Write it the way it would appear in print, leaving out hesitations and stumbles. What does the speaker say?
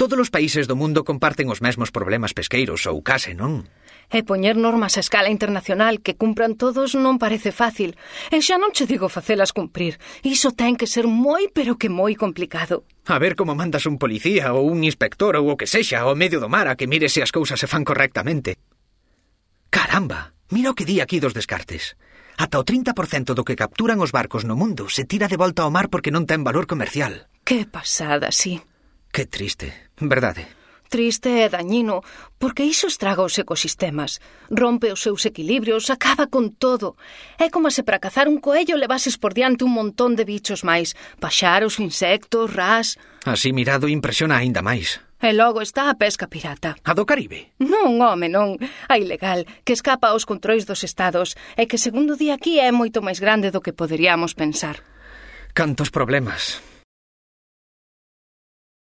Todos os países do mundo comparten os mesmos problemas pesqueiros ou case, non? E poñer normas a escala internacional que cumpran todos non parece fácil. E xa non che digo facelas cumprir. Iso ten que ser moi, pero que moi complicado. A ver como mandas un policía ou un inspector ou o que sexa ao medio do mar a que mire se as cousas se fan correctamente. Caramba, mira o que di aquí dos descartes. Ata o 30% do que capturan os barcos no mundo se tira de volta ao mar porque non ten valor comercial. Que pasada, sí. Que triste, verdade. Triste e dañino, porque iso estraga os ecosistemas, rompe os seus equilibrios, acaba con todo. É como se para cazar un coello levases por diante un montón de bichos máis, paxaros, insectos, ras... Así mirado impresiona aínda máis. E logo está a pesca pirata. A do Caribe? Non, home, non. A ilegal, que escapa aos controis dos estados e que, segundo di aquí, é moito máis grande do que poderíamos pensar. Cantos problemas.